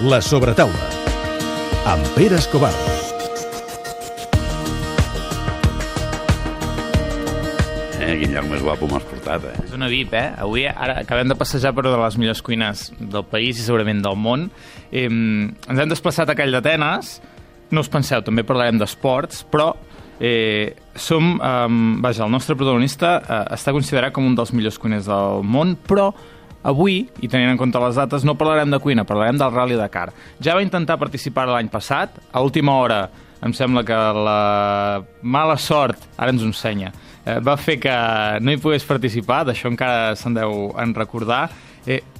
La sobretaula, amb Pere Escobar. Quin lloc més guapo m'has portat, És una VIP, Avui ara acabem de passejar per una de les millors cuines del país i segurament del món. Ens hem desplaçat a Call d'Atenes. No us penseu, també parlarem d'esports, però el nostre protagonista està considerat com un dels millors cuiners del món, però avui, i tenint en compte les dates, no parlarem de cuina, parlarem del Rally Dakar. Ja va intentar participar l'any passat, a última hora em sembla que la mala sort, ara ens ho ensenya, va fer que no hi pogués participar, d'això encara se'n deu en recordar.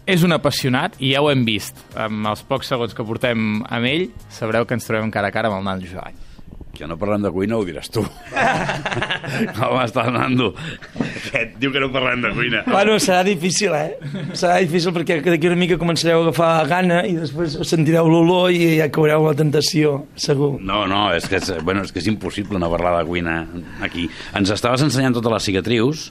És un apassionat i ja ho hem vist. Amb els pocs segons que portem amb ell, sabreu que ens trobem cara a cara amb el Nando Jovany. Que no parlem de cuina ho diràs tu. Com estàs, Nando? Aquest diu que no parlem de cuina. Bueno, serà difícil, Serà difícil perquè d'aquí una mica començareu a agafar gana i després sentireu l'olor i ja caureu la tentació, segur. No, és que és impossible no parlar de cuina aquí. Ens estaves ensenyant totes les cicatrius.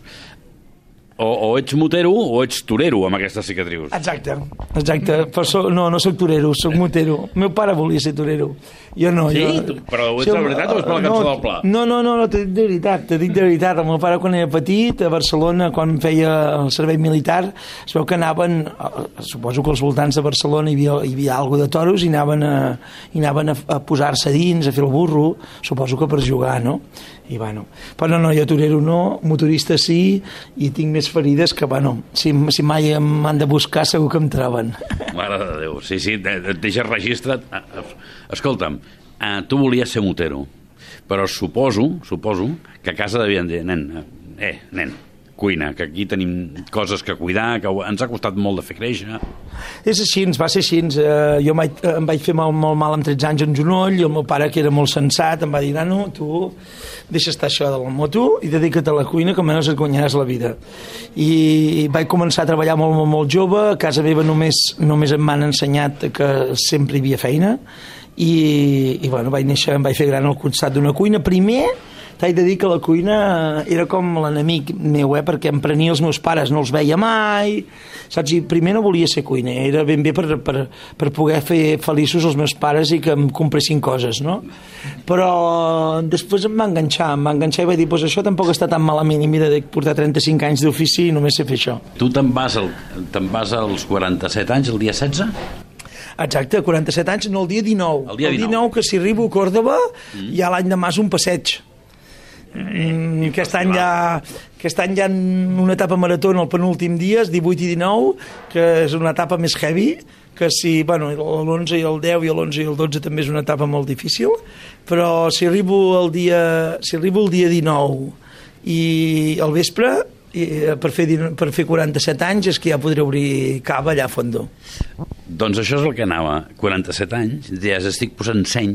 O ets motero o ets torero amb aquestes cicatrius. Exacte. Però no soc torero, soc motero. El meu pare volia ser torero. Jo no. Sí? Però ho ets de veritat o és per la cançó del Pla? No, t'ho dic de veritat. El meu pare quan era petit, a Barcelona, quan feia el servei militar, es veu que anaven, suposo que als voltants de Barcelona hi havia alguna de toros i anaven a posar-se dins, a fer el burro, suposo que per jugar, no? I bueno, però no, jo torero no, motorista sí, i tinc més ferides que, bueno, si mai m'han de buscar segur que em troben. Mare de Déu, sí, et deixes registre. Escolta'm, tu volies ser motero, però suposo que a casa devien dir, nen, cuina, que aquí tenim coses que cuidar, que ens ha costat molt de fer créixer. És així, va ser així. Jo em vaig fer molt mal amb 13 anys en genoll, i el meu pare, que era molt sensat, em va dir, nano, tu deixa estar això de la moto i dedica't a la cuina, que almenys et guanyaràs la vida. I vaig començar a treballar molt jove. A casa meva només em van ensenyat que sempre hi havia feina, i bueno, vaig néixer, em vaig fer gran al costat d'una cuina. Primer t'haig de dir que la cuina era com l'enemic meu, perquè em prenia els meus pares, no els veia mai, saps? I primer no volia ser cuiner, era ben bé per poder fer feliços els meus pares i que em compressin coses, no? Però després em va enganxar i vaig dir, doncs això tampoc està tan malament, i mira, de portar 35 anys d'ofici i només sé fer això. Tu te'n vas als 47 anys, el dia 16? Exacte, 47 anys, no, el dia 19. El dia 19, que si arribo a Còrdova, hi ha l'any de mas un passeig. Aquest any hi ha una etapa marató en el penúltim dia, 18 i 19, que és una etapa més heavy, que si, bueno, l'11 i el 10 i l'11 i el 12 també és una etapa molt difícil, però si arribo el dia 19 i al vespre, per fer 47 anys, és que ja podré obrir cava allà a Fondo. Doncs això és el que anava, 47 anys, ja estic posant seny,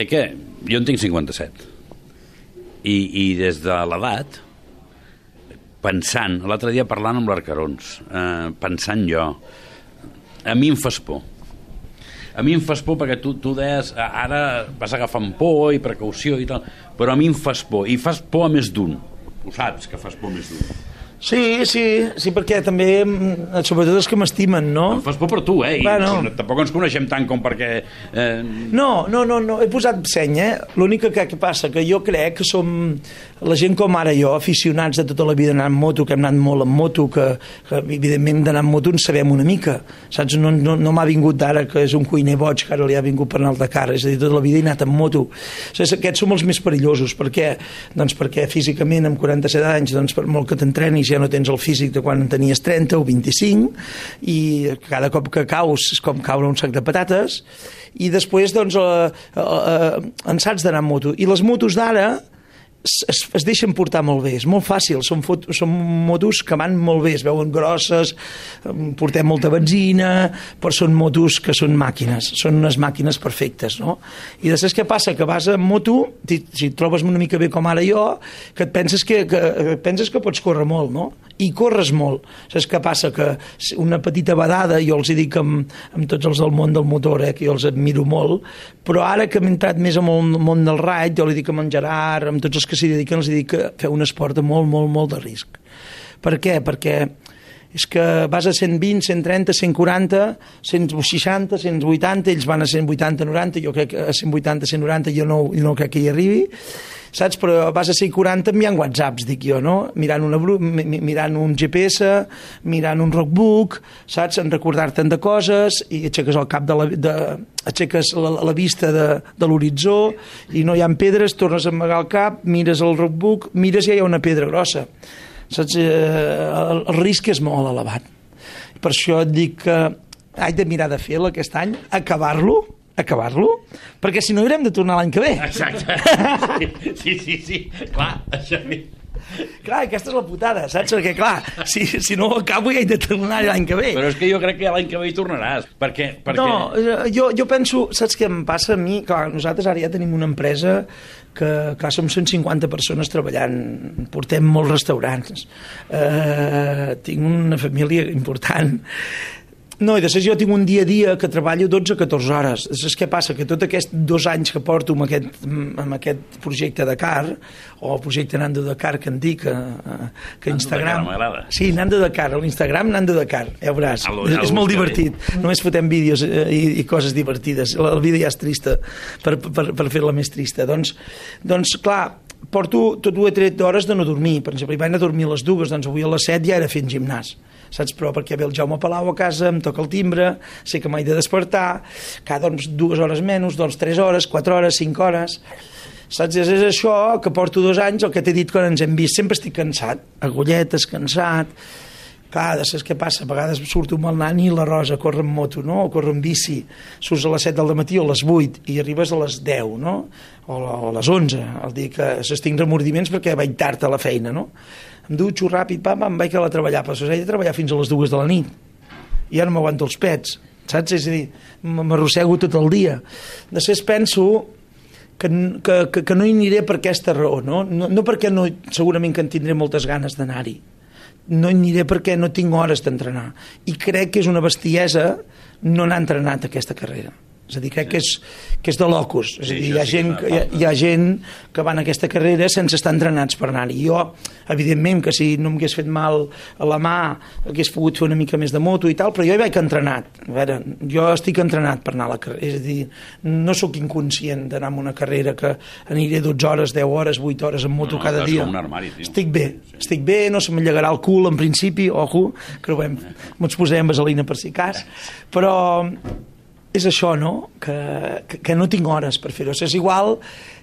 que jo en tinc 57. I des de l'edat, pensant, l'altre dia parlant amb l'Arcarons, pensant jo, a mi em fas por. A mi em fas por perquè tu deies, ara vas agafant por i precaució i tal, però a mi em fas por, i fas por a més d'un. Ho saps, que fas por a més d'un. Sí, perquè també, sobretot els que m'estimen, no? Em fas por per tu, Bueno. Tampoc ens coneixem tant com perquè... No, he posat seny, L'únic que passa, que jo crec que som la gent com ara jo, aficionats de tota la vida d'anar amb moto, que hem anat molt amb moto, que evidentment d'anar amb moto en sabem una mica, saps? No m'ha vingut d'ara que és un cuiner boig, que ara li ha vingut per anar al Dakar, és a dir, tota la vida he anat amb moto. Aquests som els més perillosos. Per què? Doncs perquè físicament, amb 47 anys, doncs per molt que t'entrenis, ja no tens el físic de quan en tenies 30 o 25, i cada cop que caus és com caure un sac de patates, i després doncs en saps d'anar amb moto. I les motos d'ara es deixen portar molt bé, és molt fàcil, són motos que van molt bé, es veuen grosses, portem molta benzina, però són motos que són màquines, són unes màquines perfectes, no? I després què passa? Que vas amb moto, si et trobes una mica bé com ara jo, que et penses que pots córrer molt, no? I corres molt. Saps què passa? Que una petita vedada, jo els dic amb tots els del món del motor, que jo els admiro molt, però ara que hem entrat més en el món del raid, jo li dic amb en Gerard, amb tots els que s'hi dediquen, els dic que feu un esport de molt de risc. Per què? Perquè és que vas a 120, 130, 140, 160, 180, ells van a 180, 90, jo crec que a 180, 190 jo no crec que hi arribi, saps? Però vas a 140 enviant whatsapps, dic jo, no? Mirant un GPS, mirant un rockbook, saps? En recordar-te'n de coses i aixeques el cap aixeques la vista de l'horitzó i no hi ha pedres, tornes a amagar el cap, mires el rockbook, mires i hi ha una pedra grossa, saps? El risc és molt elevat. Per això et dic que haig de mirar de fer-lo aquest any, acabar-lo, perquè si no haurem de tornar l'any que ve. Exacte. Sí. Clar, això... Clar, aquesta és la putada, saps? Perquè, clar, si no ho acabo ja he de tornar l'any que ve. Però és que jo crec que l'any que ve hi tornaràs. Perquè... No, jo penso, saps què em passa a mi? Clar, nosaltres ara ja tenim una empresa que, clar, som 150 persones treballant, portem molts restaurants, tinc una família important. No, i després jo tinc un dia a dia que treballo 12-14 hores. Després què passa? Que tot aquests 2 anys que porto amb aquest projecte Dakar, o el projecte Nando Dakar que en dic, que Instagram... Nando Dakar m'agrada. Sí, Nando Dakar, a l'Instagram Nando Dakar, ja veuràs. És molt divertit. Només fotem vídeos i coses divertides. El vídeo ja és trista, per fer-la més trista. Doncs clar, porto tot 2 o 3 hores de no dormir. Per exemple, vaig anar a dormir a les 2, doncs avui a les 7 ja era fent gimnàs. Saps? Però perquè ve el Jaume Palau a casa, em toca el timbre, sé que m'he de despertar, cada 2 hores menys, 3 hores, 4 hores, 5 hores... Saps? És això que porto 2 anys, el que t'he dit quan ens hem vist, sempre estic cansat, agulletes, cansat... Clar, saps què passa? A vegades surto amb el nani i la Rosa a córrer en moto, no? O córrer en bici. Surts a les 7 del matí o a les 8 i arribes a les 10, no? O a les 11, el dia que tinc remordiments perquè vaig tard a la feina, no? Em dutxo ràpid, em vaig a treballar, però he de treballar fins a les 2 de la nit. I ja no m'aguanto els pets, saps? És a dir, m'arrossego tot el dia. Després penso que no hi aniré per aquesta raó, no? No perquè segurament que en tindré moltes ganes d'anar-hi. No hi aniré perquè no tinc hores d'entrenar. I crec que és una bestiesa no anar entrenat aquesta carrera. És a dir, crec que és de locos. És a dir, hi ha gent que va en aquesta carrera sense estar entrenats per anar-hi. Jo, evidentment, que si no m'hagués fet mal a la mà, hagués pogut fer una mica més de moto i tal, però jo hi vaig entrenat. A veure, jo estic entrenat per anar a la carrera. És a dir, no sóc inconscient d'anar a una carrera que aniré 12 hores, 10 hores, 8 hores en moto cada dia. Un armari, estic bé, no se m'allegarà el cul en principi, ojo, que ens posarem vaselina per si cas, però és això, no? Que no tinc hores per fer-ho. És igual,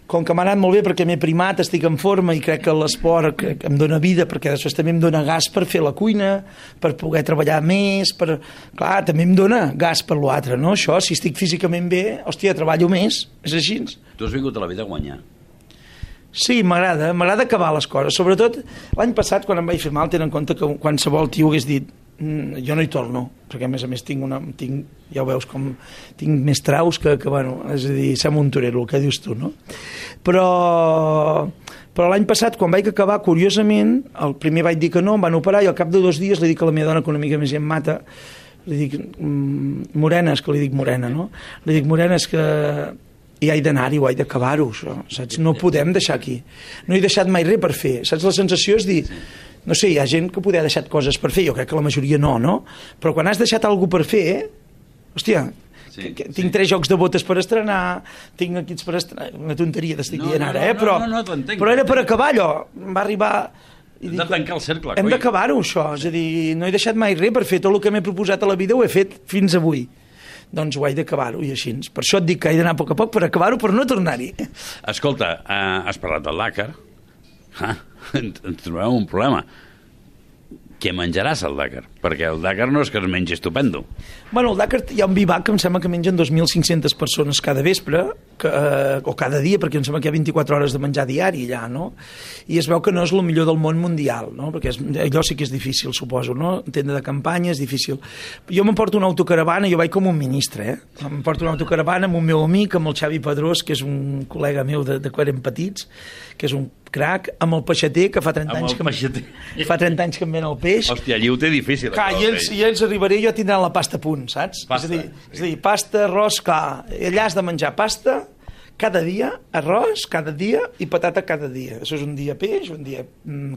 com que m'ha anat molt bé perquè m'he primat, estic en forma i crec que l'esport em dona vida, perquè després també em dona gas per fer la cuina, per poder treballar més, clar, també em dona gas per l'altre, no? Això, si estic físicament bé, hòstia, treballo més, és així. Tu has vingut a la vida a guanyar. Sí, m'agrada acabar les coses. Sobretot, l'any passat, quan em vaig fer mal, tenen en compte que qualsevol tio hagués dit jo no hi torno, perquè a més ja ho veus com tinc més traus que bueno, és a dir, sembla un torero el que dius tu, no? Però l'any passat, quan vaig acabar, curiosament, el primer vaig dir que no, em van operar i al cap de 2 dies li dic a la meva dona, que una mica més ja em mata, li dic Morena, és que li dic Morena, no? Li dic Morena, és que i he d'anar-hi o he d'acabar-ho, això, saps? No podem deixar aquí. No he deixat mai res per fer, saps? La sensació és dir, no sé, hi ha gent que poder ha deixat coses per fer, jo crec que la majoria no? Però quan has deixat alguna per fer, hòstia, tinc 3 jocs de botes per estrenar, tinc equips per estrenar, una tonteria t'estic dient ara, però era per acabar allò, em va arribar... Hem de tancar el cercle, hem d'acabar-ho, això, és a dir, no he deixat mai res per fer tot el que m'he proposat a la vida, ho he fet fins avui. Doncs ho he d'acabar-ho i així. Per això et dic que he d'anar a poc a poc per acabar-ho, per no tornar-hi. Escolta, has parlat del Dakar. Ens trobem un problema. Què menjaràs al Dakar? Perquè el Dakar no és que es mengi estupendo. Bueno, al Dakar hi ha un bivac que em sembla que mengen 2.500 persones cada vespre, o cada dia, perquè em sembla que hi ha 24 hores de menjar diari allà, no? I es veu que no és el millor del món mundial, no? Perquè allò sí que és difícil, suposo, no? Tenda de campanya és difícil. Jo m'emporto una autocaravana, jo vaig com un ministre, m'emporto una autocaravana amb un meu amic, amb el Xavi Pedrós, que és un col·lega meu de quan érem petits, que és un crac, amb el peixater, que fa 30 anys que em ven el peix. Hòstia, allí ho té difícil. Clar, i ells arribaré jo tindran la pasta a punt, saps? Pasta. És a dir, pasta, arròs, clar, allà has de menjar pasta, cada dia arròs, cada dia i patata cada dia. Això és un dia peix, un dia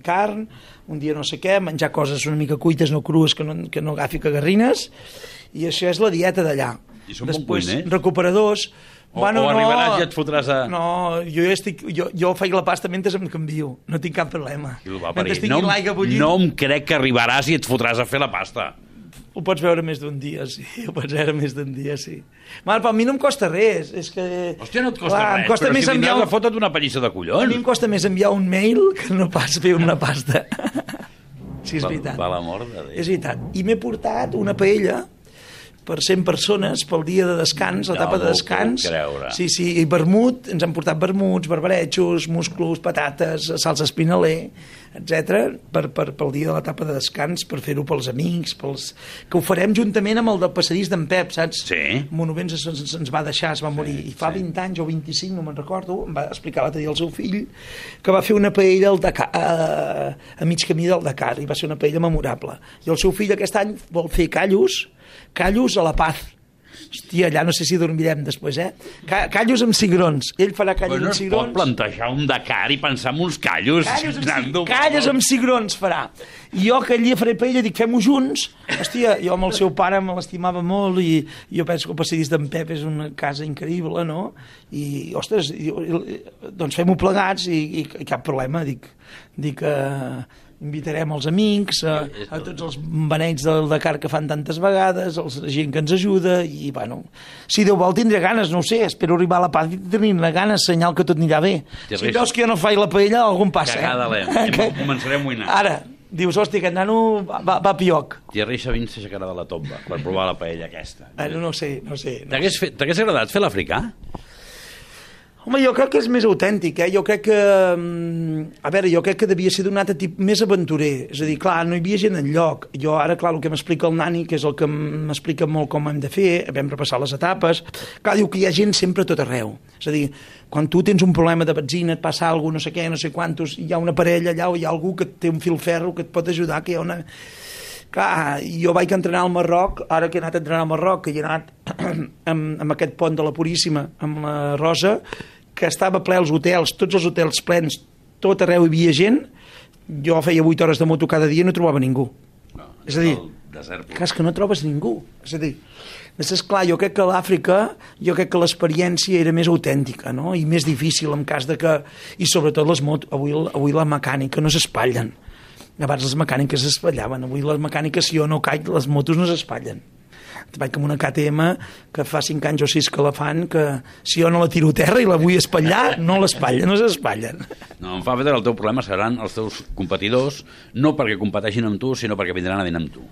carn, un dia no sé què, menjar coses una mica cuites, no crues, que no agafi cagarrines, i això és la dieta d'allà. I són bons cuiners? Recuperadors. O arribaràs i et fotràs a... No, jo faig la pasta mentre em canvio, no tinc cap problema. Mentre estigui l'aigua bullint... No em crec que arribaràs i et fotràs a fer la pasta. Ho pots veure més d'un dia, sí. Ho pots veure més d'un dia, sí. Mal, però a mi no em costa res. És que... Hòstia, no et costa res, però si vindràs a fotre't una pallissa de collons. A mi em costa més enviar un mail que no pas fer una pasta. Sí, és veritat. Va l'amor de Déu. És veritat. I m'he portat una paella per 100 persones pel dia de descans, l'etapa de descans. Sí, i vermut, ens han portat vermuts, barbaretxos, musclos, patates, salsa espinaler, etc. pel dia de l'etapa de descans, per fer-ho pels amics, que ho farem juntament amb el del passadís d'en Pep, saps? Sí. Monovents ens va deixar, es va morir, i fa 20 anys o 25, no me'n recordo, em va explicar l'altre dia el seu fill, que va fer una paella al Dakar, a mig camí del Dakar, i va ser una paella memorable. I el seu fill aquest any vol fer callos a la Paz. Hòstia, allà no sé si dormirem després, Callos amb cigrons. Ell farà callos amb cigrons. No es pot plantejar un Dakar i pensar en uns callos. Callos amb cigrons farà. I jo aquell dia faré paella, dic, fem-ho junts. Hòstia, jo amb el seu pare me l'estimava molt i jo penso que el passadís d'en Pep és una casa increïble, no? I, ostres, doncs fem-ho plegats i cap problema, dic invitarem els amics, a tots els beneits del Dakar que fan tantes vegades, la gent que ens ajuda, i bueno, si Déu vol tindré ganes, no ho sé, espero arribar a la Paz i tenir ganes, senyal que tot anirà bé. Si veus que jo no faig la paella, algun passa. Començarem a moïnar. Ara, dius, hòstia, aquest nano va pioc. Thierry Sabin s'aixecarà de la tomba per provar la paella aquesta. No sé. T'hagués agradat fer l'africà? Home, jo crec que és més autèntic, Jo crec que... A veure, jo crec que devia ser d'un altre tipus més aventurer. És a dir, clar, no hi havia gent enlloc. Jo ara, clar, el que m'explica el Nani, que és el que m'explica molt com hem de fer, vam repassar les etapes, clar, diu que hi ha gent sempre a tot arreu. És a dir, quan tu tens un problema de benzina, et passa alguna cosa, no sé què, no sé quantos, hi ha una parella allà o hi ha algú que té un filferro que et pot ajudar, que hi ha una... Clar, jo vaig entrenar al Marroc, ara que he anat a entrenar al Marroc, que he anat amb aquest pont de la Puríssima, amb la Rosa, que estava ple els hotels, tots els hotels plens, tot arreu hi havia gent, jo feia 8 hores de moto cada dia i no trobava ningú. És a dir, és que no trobes ningú. És a dir, clar, jo crec que a l'Àfrica, jo crec que l'experiència era més autèntica, no? I més difícil en cas de que... I sobretot les motos, avui la mecànica no s'espatllen. Abans les mecàniques s'espallaven, avui les mecàniques, si jo no caig, les motos no s'espatllen. Vaig amb una KTM que fa 5 anys o 6 que la fan, que si jo no la tiro a terra i la vull espatllar, no l'espatllen, no s'espatllen. No, em fa veure que el teu problema seran els teus competidors, no perquè competeixin amb tu, sinó perquè vindran a dinar amb tu.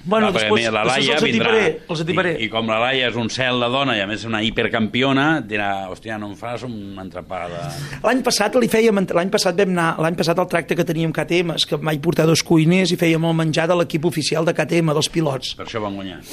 Bueno, després els atiparé. I com la Laia és un cel de dona i a més una hipercampiona, dirà, hòstia, no em fas un entrepà de... L'any passat el tracte que teníem KTM és que vaig portar 2 cuiners i fèiem el menjar de l'equip oficial de KTM, dels pilots. Per això van guanyar.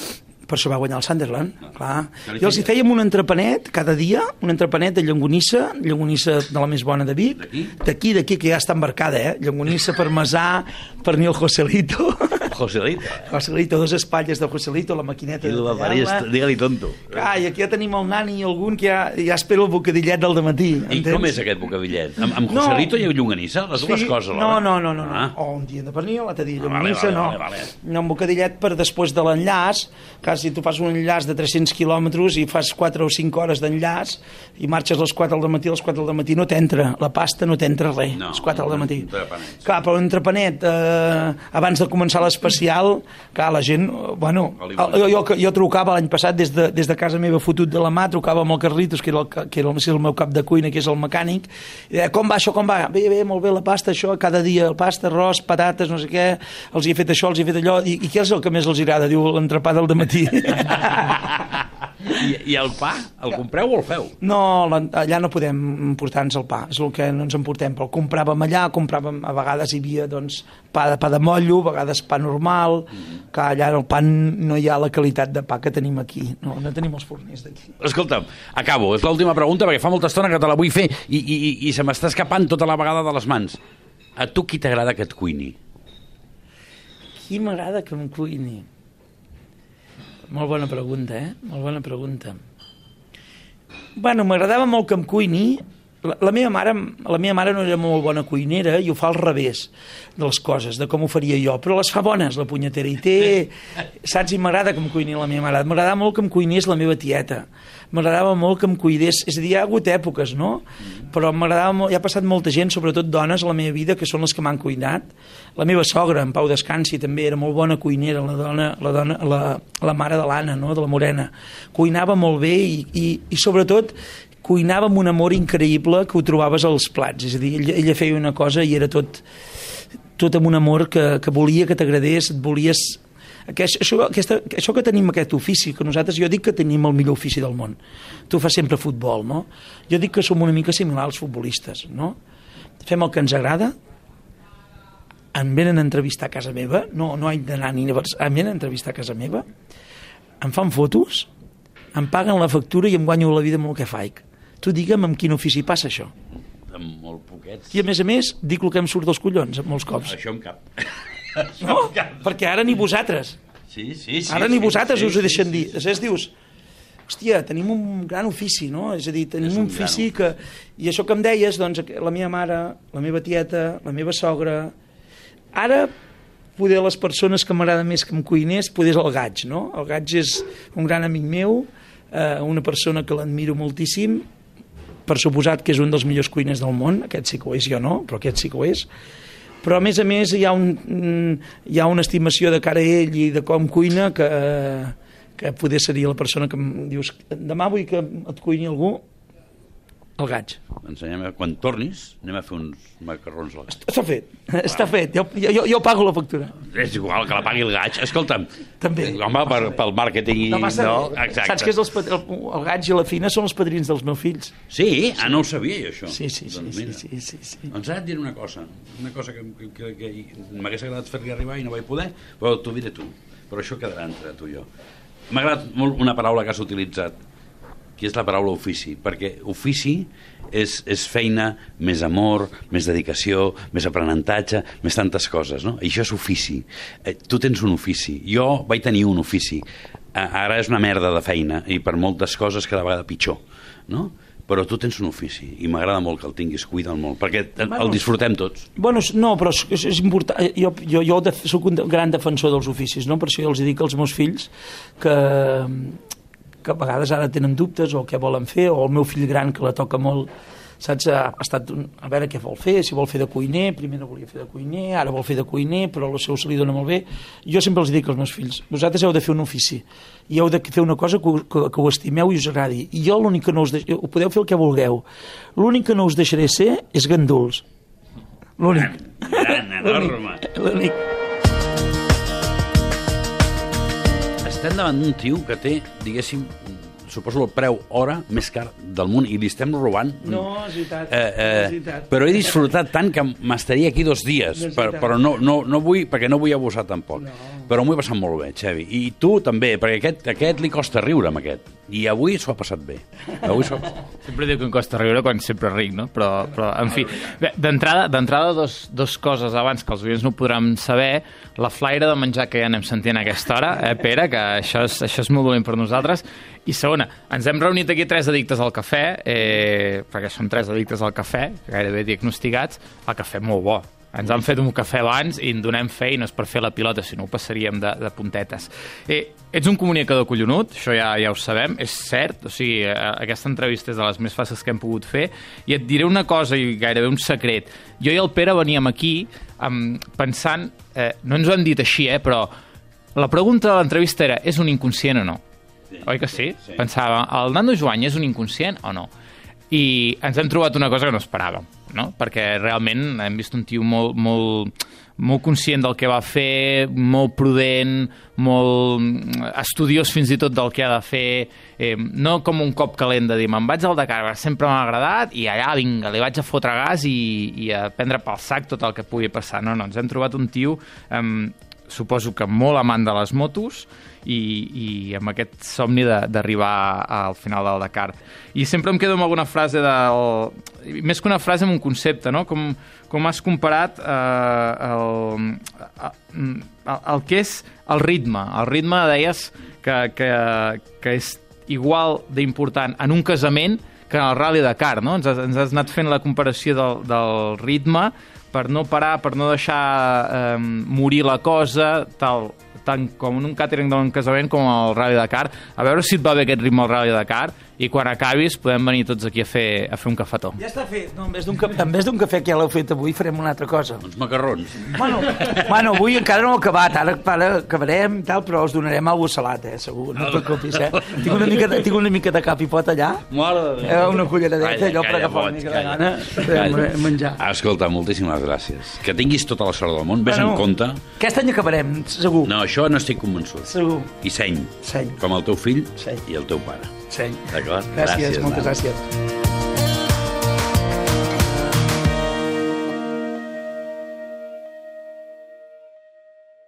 Per això va guanyar el Sunderland, clar. I els hi fèiem un entrepanet cada dia, un entrepanet de llonganissa de la més bona de Vic, d'aquí, que ja està embarcada, llonganissa parmesà, pernil Joselito. Joselito, 2 espatlles de Joselito, la maquineta de tallar-la. Digue-li tonto. I aquí ja tenim el Nani i algun que ja espera el bocadillet del dematí. I com és aquest bocadillet? Amb Joselito i llonganissa? Les dues coses, no. O un dia de pernil, l'altre dia llonganissa, no. No, un bocadillet per després de l'enllaç, que si tu fas un enllaç de 300 quilòmetres i fas 4 o 5 hores d'enllaç i marxes a les 4 del matí, a les 4 del matí no t'entra, la pasta no t'entra res, a les 4 del matí. Clar, però un entrepanet abans de començar l'especial, clar, la gent, bueno, jo trucava l'any passat des de casa meva fotut de la mà, trucava amb el Carlitos, que era el meu cap de cuina, que és el mecànic, i deia, com va això, com va? Bé, molt bé, la pasta, això, cada dia, pasta, arròs, patates, no sé què, els hi he fet això, els hi he fet allò, i què és el que més els agrada? Diu, l'entrepà del dematí. I el pa, el compreu o el feu? No, allà no podem emportar-nos el pa, és el que no ens emportem, però el compràvem allà, a vegades hi havia doncs, pa de mollo, a vegades pa normal, que allà el pa no hi ha la qualitat de pa que tenim aquí, no tenim els forners d'aquí. Escolta'm, acabo, és l'última pregunta perquè fa molta estona que te la vull fer i se m'està escapant tota la vegada de les mans. A tu qui t'agrada que et cuini? Qui m'agrada que em cuini? Molt bona pregunta, Molt bona pregunta. Bueno, m'agradava molt que em cuini. La meva mare no era molt bona cuinera i ho fa al revés de les coses, de com ho faria jo, però les fa bones, la punyetera, i té... Saps? I m'agrada que em cuini la meva mare. M'agradava molt que em cuinés la meva tieta. M'agradava molt que em cuidés... És a dir, hi ha hagut èpoques, no? Però m'agradava molt... Hi ha passat molta gent, sobretot dones, a la meva vida, que són les que m'han cuinat. La meva sogra, en Pau Descansi, també era molt bona cuinera, la mare de l'Anna, no? De la Morena. Cuinava molt bé i sobretot cuinava amb un amor increïble que ho trobaves als plats. És a dir, ella feia una cosa i era tot amb un amor que volia que t'agradés, et volies... Això que tenim aquest ofici, que nosaltres, jo dic que tenim el millor ofici del món. Tu fas sempre futbol, no? Jo dic que som una mica similar als futbolistes, no? Fem el que ens agrada, em venen a entrevistar a casa meva, no haig d'anar ni a em venen a entrevistar a casa meva, em fan fotos, em paguen la factura i em guanyo la vida amb el que faig. Tu digue'm amb quin ofici passa això. Amb molt poquets. I a més, dic el que em surt dels collons, molts cops. Això em cap. No, perquè ara ni vosaltres. Sí. Ara ni vosaltres us ho deixen dir. Després dius, hòstia, tenim un gran ofici, no? És a dir, tenim un ofici que... I això que em deies, doncs, la meva mare, la meva tieta, la meva sogra... Ara, poder les persones que m'agrada més que em cuinés, poder és el Gaig, no? El Gaig és un gran amic meu, una persona que l'admiro moltíssim, per suposat que és un dels millors cuiners del món, aquest sí que ho és, jo no, però aquest sí que ho és. Però a més hi ha una estimació de cara a ell i de com cuina que poder seria la persona que em dius demà vull que et cuini algú, el Gaig. Quan tornis anem a fer uns macarrons al Gaig. Està fet, jo pago la factura. És igual que la pagui el Gaig. Escolta'm, també. Home, pel màrqueting... No, saps que el Gaig i la Fina són els padrins dels meus fills? Sí? No ho sabia jo, això. Sí. Doncs ara et diré una cosa que m'hagués agradat fer-li arribar i no vaig poder, però t'ho diré tu. Però això quedarà entre tu i jo. M'ha agradat molt una paraula que has utilitzat, que és la paraula ofici, perquè ofici és feina, més amor, més dedicació, més aprenentatge, més tantes coses, no? I això és ofici. Tu tens un ofici. Jo vaig tenir un ofici. Ara és una merda de feina i per moltes coses cada vegada pitjor, no? Però tu tens un ofici i m'agrada molt que el tinguis, cuida'l molt, perquè el disfrutem tots. Bueno, no, però és important. Jo soc un gran defensor dels oficis, no? Per això jo els dic als meus fills que a vegades ara tenen dubtes o què volen fer, o el meu fill gran que la toca molt, saps, ha estat a veure què vol fer, si vol fer de cuiner, primer no volia fer de cuiner, ara vol fer de cuiner, però el seu se li dona molt bé. Jo sempre els dic als meus fills, vosaltres heu de fer un ofici i heu de fer una cosa que ho estimeu i us agradi, i jo l'únic que no us deixaré, podeu fer el que vulgueu, l'únic que no us deixaré ser és ganduls. L'únic. Gran, enorme. L'únic. Estem davant d'un tio que té, diguéssim, suposo el preu hora més car del món i li estem robant. No, és veritat. Però he disfrutat tant que m'estaria aquí 2 dies, però no vull, perquè no vull abusar tampoc. No. Però m'ho he passat molt bé, Xevi. I tu també, perquè aquest li costa riure amb aquest. I avui s'ho ha passat bé. Sempre diu que em costa riure quan sempre ric, no? Però en fi, d'entrada dos coses abans que els oients no podran saber. La flaire de menjar que ja anem sentint a aquesta hora, Pere, que això és molt dolent per nosaltres. I segona, ens hem reunit aquí 3 addictes al cafè, perquè som 3 addictes al cafè, gairebé diagnosticats, el cafè molt bo. Ens han fet un cafè abans i en donem fe i no és per fer la pilota, sinó ho passaríem de puntetes. Ets un comunicador collonut, això ja ho sabem, és cert, o sigui, aquesta entrevista és de les més fàcils que hem pogut fer, i et diré una cosa i gairebé un secret. Jo i el Pere veníem aquí pensant, no ens ho han dit així, però la pregunta de l'entrevista era, és un inconscient o no? Sí. Oi que sí? Pensava, el Nando Joany és un inconscient o no? I ens hem trobat una cosa que no esperàvem, no? Perquè realment hem vist un tio molt conscient del que va fer, molt prudent, molt estudiós fins i tot del que ha de fer, no com un cop calent de dir me'n vaig al Dakar, sempre m'ha agradat i allà, vinga, li vaig a fotre gas i a prendre pel sac tot el que pugui passar. No, ens hem trobat un tio, suposo que molt amant de les motos, i amb aquest somni d'arribar al final del Dakar. I sempre em quedo amb alguna frase més que una frase, amb un concepte, no? Com has comparat el que és el ritme. El ritme, deies, que és igual d'important en un casament que en el Rally Dakar, no? Ens has anat fent la comparació del ritme per no parar, per no deixar morir la cosa, tant com en un càtering d'un casament com al Rally Dakar. A veure si et va bé aquest ritme al Rally Dakar i quan acabis podem venir tots aquí a fer un cafetó. Ja està fet. No, en vez d'un cafè que ja l'heu fet avui, farem una altra cosa. Uns macarrons. Bueno, avui encara no ho he acabat, ara acabarem i tal, però us donarem alguna salat, segur, no et preocupis, Tinc una mica de cap i pot allà. Una culleradeta, allò per agafar una mica de gana de menjar. Escolta, moltíssimes gràcies. Que tinguis tota la sort del món, vés en compte. Aquest any acabarem, segur. No, això no estic convençut. Segur. I seny. Com el teu fill i el teu pare. Seny. D'acord? Gràcies, moltes gràcies.